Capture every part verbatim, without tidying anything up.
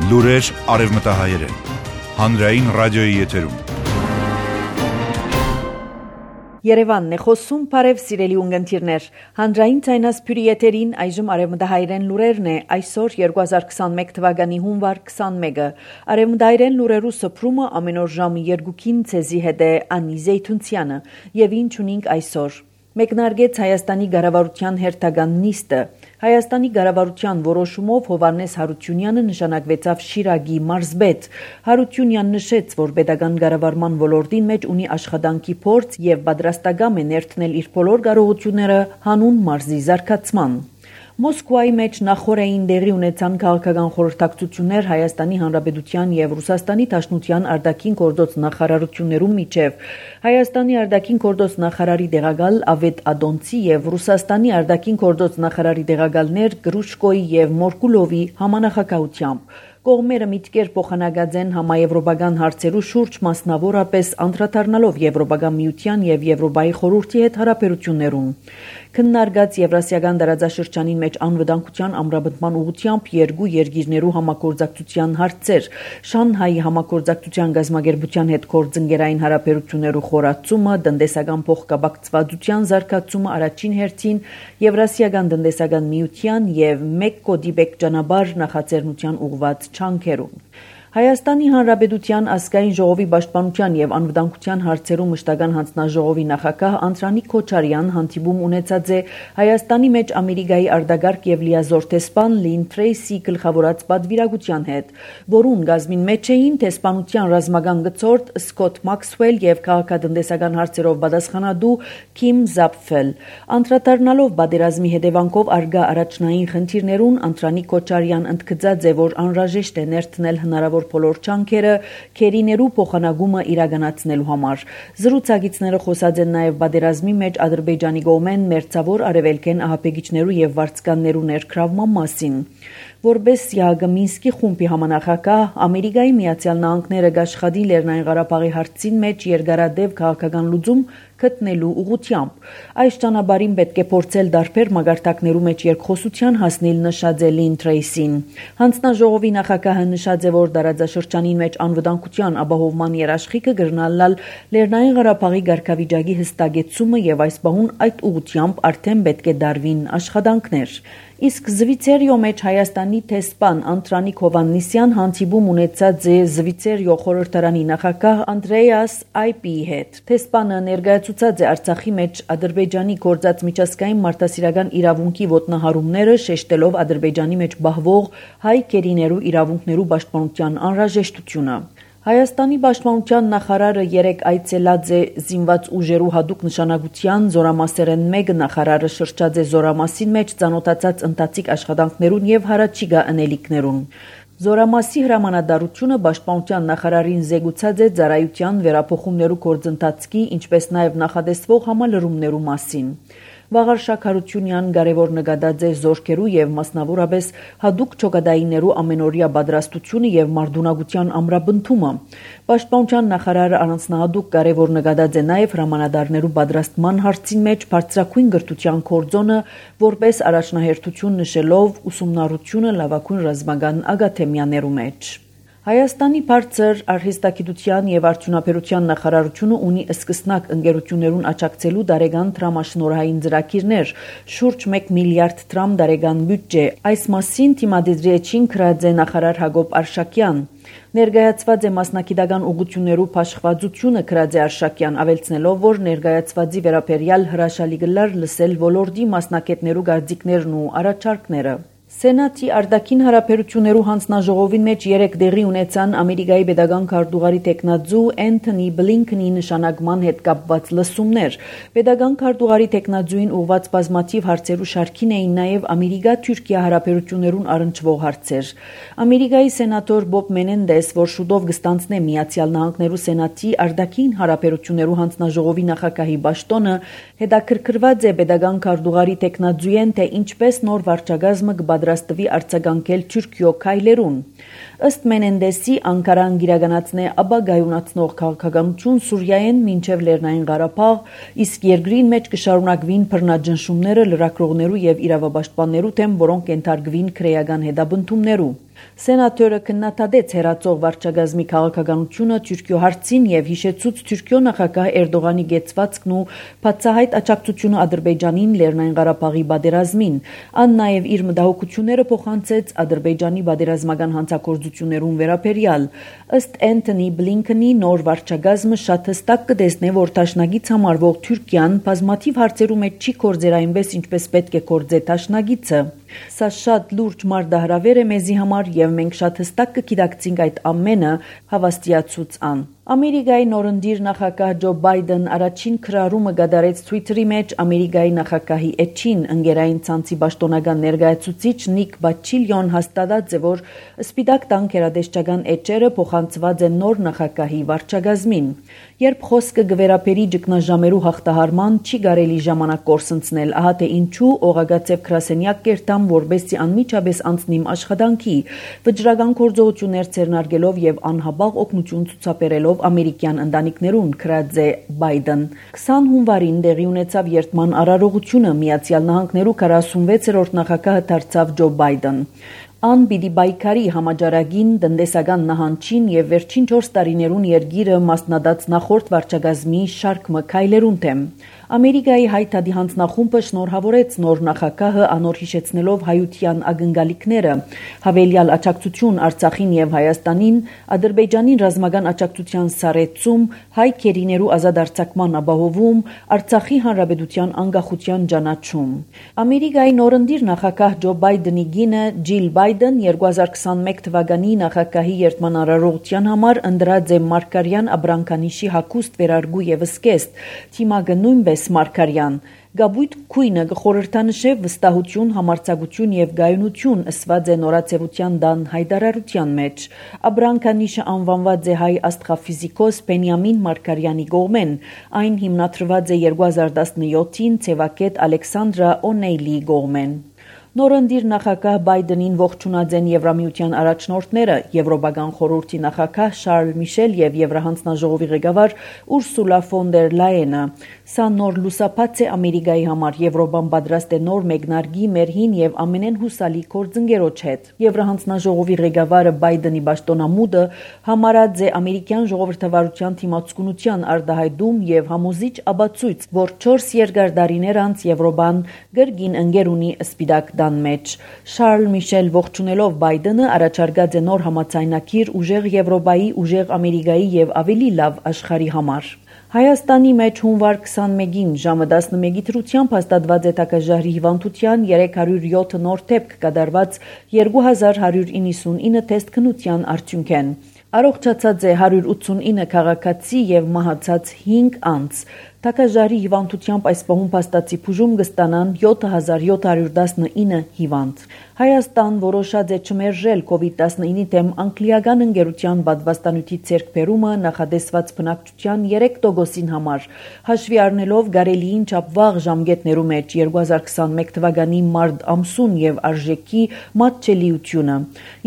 Լուրեր արևմտահայերեն։ Հանրային ռադիոյի եթերում։ Երևանն է խոսում, բարև սիրելի ունգընտիրներ։ Հանրային ցայնասփյուրի եթերին այժմ արևմտահայերեն լուրերն է, այսօր երկու հազար քսանմեկ թվականի հունվար քսանմեկը։ Արևմտահայերեն լուրերու սփռումը ամեն օր ժամը երկուքին ցեզի հետ է Անի Զեյթունցյանը, եւ ինչ ունենք այսօր։ Մեկնարկեց Հայաստանի ղարավարության հերթական նիստը։ Հայաստանի ղարավարության որոշումով Հովհաննես Հարությունյանը նշանակվեցավ Շիրակի մարզպետ։ Հարությունյանն նշեց, որ պետական ղարավարման ոլորտին մեջ ունի աշխատանքի փորձ եւ պատրաստակամ է ներդնել իր բոլոր կարողությունները հանուն մարզի զարգացման։ Մոսկվայի մեջ նախորդային դեղի ունեցան քաղաքական խորհրդակցություններ Հայաստանի Հանրապետության եւ Ռուսաստանի Դաշնության արտաքին գործոց նախարարություններու միջև։ Հայաստանի արտաքին գործոց նախարարի տեղակալ Ավետ Ադոնցի եւ Ռուսաստանի արտաքին գործոց նախարարի տեղակալներ Գրուշկոյի եւ Մորկուլովի համանախագահությամբ։ Կողմերը միտքեր փոխանակած են համաեվրոպական հարցերու շուրջ, մասնավորապես անդրադառնալով Եվրոպական միության եւ Եվրոպայի խորհրդի հետ հարաբերություններուն։ Քննարկած Եվրասիական տարածաշրջանին մեջ անվտանգության ամրապնդման ուղղությամբ երկու երկիրներու համագործակցության հարցեր, Շանհայի համագործակցության գազագերբության հետ գործընկերային հարաբերություններու խորացումը, տնտեսական փոխկապակցվածության զարգացումը առաջին հերթին Եվրասիական տնտեսական միության եւ մեկ կոդիբեկ ճանապարհ նախաձեռնության ուղղված չանքերուն։ Հայաստանի Հանրապետության ազգային ժողովի պաշտպանության եւ անվտանգության հարցերու մշտական հանձնաժողովի նախագահ Անդրանիկ Քոչարյան հանդիպում ունեցած է Հայաստանի մեջ Ամերիկայի արտագաղթ եւ լիազոր տեսփան Լին Թրեյսի գլխավորած պատվիրակության հետ, որուն գազմին մեջ էին տեսփանության ռազմական գծորդ Սկոտ Մաքսվել եւ քաղաքատնտեսական հարցերով պատասխանատու Քիմ Զապֆել։ Անդրադառնալով պատերազմի հետևանքով արգա առաջնային խնդիրներուն Անդրանիկ Քոչարյան ընդգծած է, որ անհրաժեշտ է ներդնել հնարավոր բոլոր չանքերը քերիներու փոխանակումը իրականացնելու համար։ Զրուցակիցները խոսած են նաև պատերազմի մեջ Ադրբեջանի կողմեն մերձավոր արևելքեն ահաբեկիչներու եւ վարձկաններու ներգրավման մասին։ Որպես ԵԱՀԿ Մինսկի խումբի համանախագահ Ամերիկայի Միացյալ Նահանգները կաշխատի Լեռնային Ղարաբաղի հարցին մեջ երկարատև քաղաքական լուծում գտնելու ուղղությամբ։ Այս ճանապարհին պետք է փորձել դարբեր մագարտակներու մեջ երկխոսության հասնել, նշած է Լին Թրեյսին։ Հանձնաժողովի նախագահը նշած է, որ տարածաշրջանի մեջ անվտանգության ապահովման երաշխիքը կգրնալալ Լեռնային Ղարաբաղի ղարքավիճակի հստակեցումը եւ այս բահուն այդ ուղղությամբ արդեն պետք է դարվին աշխատանքներ։ Իսկ Զվիցերիո մեջ Հայաստանի տեսփան Անդրանիկ Հովհաննիսյան հանդիպում ունեցած է Զվիցերիո խորհրդարանի նախագահ Անդրեաս Այպիի հետ։ Տեսփանը ներկայացուցած է Արցախի մեջ Ադրբեջանի գործած միջազգային մարդասիրական իրավունքի ոտնահարումները, շեշտելով Ադրբեջանի մեջ բահվող հայ քերիներու իրավունքներու պաշտպանության անհրաժեշտությունը։ Հայաստանի պաշտպանության նախարարը երեկ այցելած է զինված ուժերու հատուկ նշանակության զորամասերեն մեկը նախարարը շրջած է զորամասին մեջ ծանոթացած ընթացիկ աշխատանքներուն եւ հարաճիգա անելիքներուն։ Զորամասի հրամանատարությունը պաշտպանության նախարարին զեկուցած է ծառայության վերափոխումներու գործընթացի, ինչպես նաեւ նախադեсվող համալրումներու մասին։ Վաղար Շաքարությունյան կարևոր նկատած է զորքերու եւ մասնավորապես հատուկ ճոգադայիներու ամենօրյա պատրաստությունը եւ մարդունակության ամրապնդումը։ Պաշտպանության նախարարը առանձնահատուկ կարևոր նկատած է նաեւ հրամանատարներու պատրաստման հարցին մեջ բարձրակույն գրթության կորձոնը, որպես առաջնահերթություն նշելով ուսումնառությունը լավագույն ռազմական ակադեմիաներու մեջ։ Հայաստանի բարձր արհեստագիտության եւ արդյունաբերության նախարարությունը ունի սկսնակ ընկերություններուն աջակցելու տարեկան դրամաշնորհային ծրագիրներ, շուրջ մեկ միլիարդ դրամ տարեկան բյուջե։ Այս մասին թիմադեդրիեչին գրած է նախարար Հակոբ Արշակյան։ Ներկայացված է մասնակիտական ուղղություններու փաշխվածությունը գրած է Արշակյան, ավելցնելով, որ ներկայացվածի վերաբերյալ հրաշալի գլար լսել ոլորտի մասնակիցներու կարծիքներն ու առաջարկները։ Սենատի արտաքին հարաբերություններու հանձնաժողովին մեջ երեք դեղի ունեցան Ամերիկայի պետական քարտուղարի տեխնաձու Էնթոնի Բլինքենի նշանակման հետ կապված լսումներ։ Պետական քարտուղարի տեխնաձուին ուղված բազմաթիվ հարցերու շարքին էին նաև Ամերիկա-Թուրքիա հարաբերություններուն առնչվող հարցեր։ Ամերիկայի սենատոր Բոբ Մենենդես, որ շուտով կստանձնե Միացյալ Նահանգներու Սենատի արտաքին հարաբերություններու հանձնաժողովի նախագահի պաշտոնը, հետաքրքրված է պետական քարտուղարի տեխնաձուեն, թե ինչպես նոր վարչակազմը կպատրաստվի արձագանքել Թուրքիո քայլերուն։ Ըստ Մենենդեսի, Անկարան գիրականացնե ապագայունացնող քաղաքականություն Սուրիայեն մինչև Լեռնային Ղարաբաղ, իսկ երկրին մեջ կշարունակվին բռնաճնշումները լրագրողներու եւ իրավապաշտպաններու դեմ, որոնք ենթարկվին քրեական հետապնդումներու։ Սենատորը քննադատեց հերացող վարչագազմի քաղաքականությունը Թուրքիո հարցին եւ հիշեցուց Թուրքիո նախագահ Էրդողանի գեցվածքն ու բացահայտ աջակցությունը Ադրբեջանին Լեռնային Ղարաբաղի պատերազմին։ Ան նաեւ իր մտահոգությունները փոխանցեց Ադրբեջանի պատերազմական հանցագործություններուն վերաբերյալ։ Ըստ Էնթոնի Բլինքենի նոր վարչագազմը շատ հստակ կտեսնե, որ դաշնագից համարվող Թուրքիան բազմաթիվ հարցերու մեջ չի կործեր այնպես, ինչպես պետք է կործե դաշնագիցը։ Սա շատ լուրջ մարտահրավեր է մեզի համար եւ մենք շատ հստակ կգիտակցենք այդ ամենը, հավաստիացուց ան։ Ամերիկայի նորընտիր նախագահ Ջո Բայդեն առաջին քրարումը կատարեց Twitter-ի մեջ Ամերիկայի նախագահի էջին ընկերային ցանցի պաշտոնական ներկայացուցիչ Նիկ Բաչիլյոն հաստատած է, որ Սպիտակ տան գերատեսչական էջերը փոխանցված են նոր նախագահի վարչագազմին։ Երբ խոսքը գվերապերի ճգնաժամերու հաղթահարման չի կարելի ժամանակ կորսնցնել, ահա թե ինչու օղագացեւ գրասենյակ կերտամ, որբեսի անմիջապես անցնիմ աշխատանքի, վճռական գործողություններ ցերնարգելով եւ անհաբաղ օգնություն ցուցաբերելով ամերիկյան ընտանիքներուն, գրած է Բայդեն։ քսան հունվարին տեղի ունեցավ երթման արարողությունը, Միացյալ Նահանգներու քառասունվեցերորդ նախագահը դարձավ Ջո Բայդեն։ Ան պիտի բայկարի համաճարակին, տնտեսական նահանջին եւ վերջին չորս տարիներուն երգիրը մասնադած նախորդ վարչագազմի շարք մը քայլերուն թեմ։ Ամերիկայի հայտարարի հանձնախումբը շնորհավորեց նոր նախագահը անոր հիշեցնելով հայության ակնկալիքները, հավելյալ աջակցություն Արցախին եւ Հայաստանին, Ադրբեջանին ռազմական աջակցության սարեցում, հայ քերիներու ազատ արձակման ապահովում, Արցախի հանրապետության անկախության ճանաչում։ Ամերիկայի նորընտիր նախագահ Ջո Բայդենի գինը Ջիլ Բայդեն երկու հազար քսանմեկ թվականի նախագահի երթման արարողության համար ընտրած է Մարգարյան Աբրանքանիշի հագուստ վերարգու եւ սկեստ, թիմակը նույնպես Մարգարյան։ Գաբույտ քույնը կխորհրդանշե վստահություն, համարձակություն եւ գայունություն ըսված է նորաձևության դան հայտարարության մեջ։ Աբրանքանիշը անվանված է հայ աստղաֆիզիկոս Բենյամին Մարգարյանի կողմեն։ Այն հիմնադրված է երկու հազար տասնյոթին ցեվակետ Ալեքսանդրա Օնեյլի կողմեն։ Նորընտիր նախագահ Բայդենին ողջունած են Եվրամիության առաջնորդները, Եվրոպական խորհրդի նախագահ Շարլ Միշել եւ Եվրահանձնաժողովի ղեկավար Ուրսուլա ֆոն դեր Լայենը։ Սա նոր լուսապաց է Ամերիկայի համար, Եվրոպան պատրաստ է նոր մեկնարկի մեր հին եւ ամենեն հուսալի գործընկերոջ հետ։ Եվրահանձնաժողովի ղեկավարը Բայդենի պաշտոնամուտը համարած է ամերիկյան ժողովրդավարության թիմացկունության արտահայտում եւ համոզիչ ապացույց, որ չորս երկար տարիներ անց Եվրոպան գրգին ընկեր ունի Սպիտակ մեջ։ Շարլ Միշել ողջունելով Բայդենը առաջարկած է նոր համաձայնագիր ուժեղ Եվրոպայի, ուժեղ Ամերիկայի եւ ավելի լավ աշխարհի համար։ Հայաստանի մեջ հունվար քսանմեկին ժամը տասնմեկի դրությամբ հաստատված է տակաժարի հիվանդության երեք հարյուր յոթ նոր դեպք կատարված երկու հազար հարյուր իննսունինը թեստ քննության արդյունքեն։ Առողջացած է հարյուր ութսունինը քաղաքացի եւ մահացած հինգ անձ։ Տակաժարի հիվանդությամբ այս պահում փաստացի բուժում կստանան յոթ հազար յոթ հարյուր տասնինը հիվանդ։ Հայաստան որոշած է չմերժել կովիդ տասնինի դեմ անգլիական ընկերության պատվաստանյութի ձեռքբերումը նախադեсված բնակչության երեք տոկոսին համար, հաշվի առնելով գարելիին չափ վաղ ժամկետներու մեջ երկու հազար քսանմեկ թվականի մարտ ամսուն եւ արժեքի մատչելիությունը։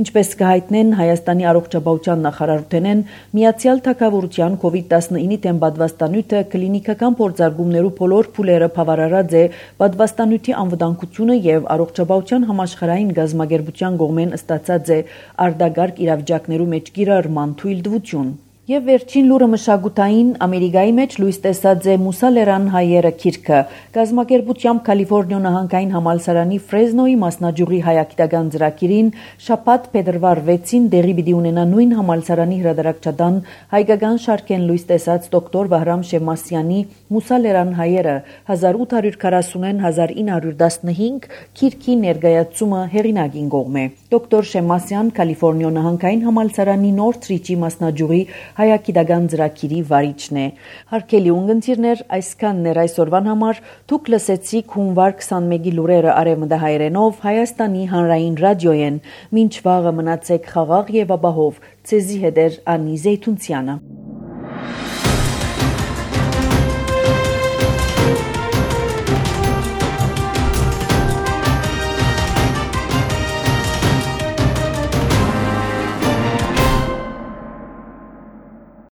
Ինչպես կհայտնեն Հայաստանի առողջապահության նախարարութենեն, Միացյալ Թագավորության կովիդ տասնինի դեմ պատվաստանյութը կլինիկական փորձարկումներու բոլոր փուլերը բավարարած է պատվաստանյութի անվտանգությունը եւ առողջապահության համաշխարհային գազագերբության կողմեն ստացած է արտագարկ իրավիճակներու մեջ կիրառման թույլտվություն։ Եվ վերջին լուրը մշակութային Ամերիկայի մեջ լույս տեսած է Մուսալերան հայերը գիրքը։ Գազագերբությամբ Կալիֆոռնիա նահանգային համալսարանի Ֆրեզնոյի մասնաճյուղի հայագիտական ծրագիրին շաբաթ փետրվար վեցին դեղի պիտի ունենա նույն համալսարանի հրատարակչական հայկական շարքեն լույս տեսած դոկտոր Վահրամ Շեմասյանի Մուսալերան հայերը հազար ութ հարյուր քառասունին հազար ինը հարյուր տասնհինգ գիրքի ներկայացումը հեղինակին կողմ է։ Դոկտոր Շեմասյան Կալիֆոռնիա նահանգային համալսարանի Նորթրիջի մասնաճյուղի հայագիտական ծրագիրի վարիչն է։ Հարգելի ունկնդիրներ, այսքանն էր այսօրվան համար։ Դուք լսեցիք հունվար քսանմեկի լուրերը արևմտահայերենով Հայաստանի հանրային ռադիոյեն։ Մինչ վաղը մնացեք խաղաղ եւ ապահով։ Ցեզի հետ էր Անի Զեյթունցյանը։